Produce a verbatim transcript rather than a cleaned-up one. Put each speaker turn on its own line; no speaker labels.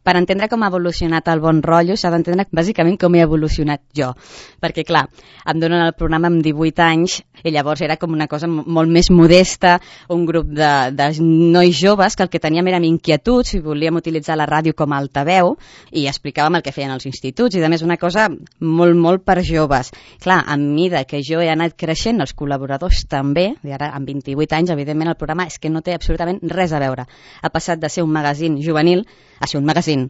Per entendre com ha evolucionat el Bon Rotllo s'ha d'entendre bàsicament com he evolucionat jo, perquè clar, em donen el programa amb divuit anys i llavors era com una cosa molt més modesta, un grup de, de nois joves que el que teníem érem inquietuds i volíem utilitzar la ràdio com a altaveu i explicàvem el que feien els instituts i a més una cosa molt, molt per joves. Clar, a mesura que jo he anat creixent, els col·laboradors també, i ara amb vint-i-vuit anys, evidentment el programa és que no té absolutament res a veure. Ha passat de ser un magazín juvenil a ser un magazín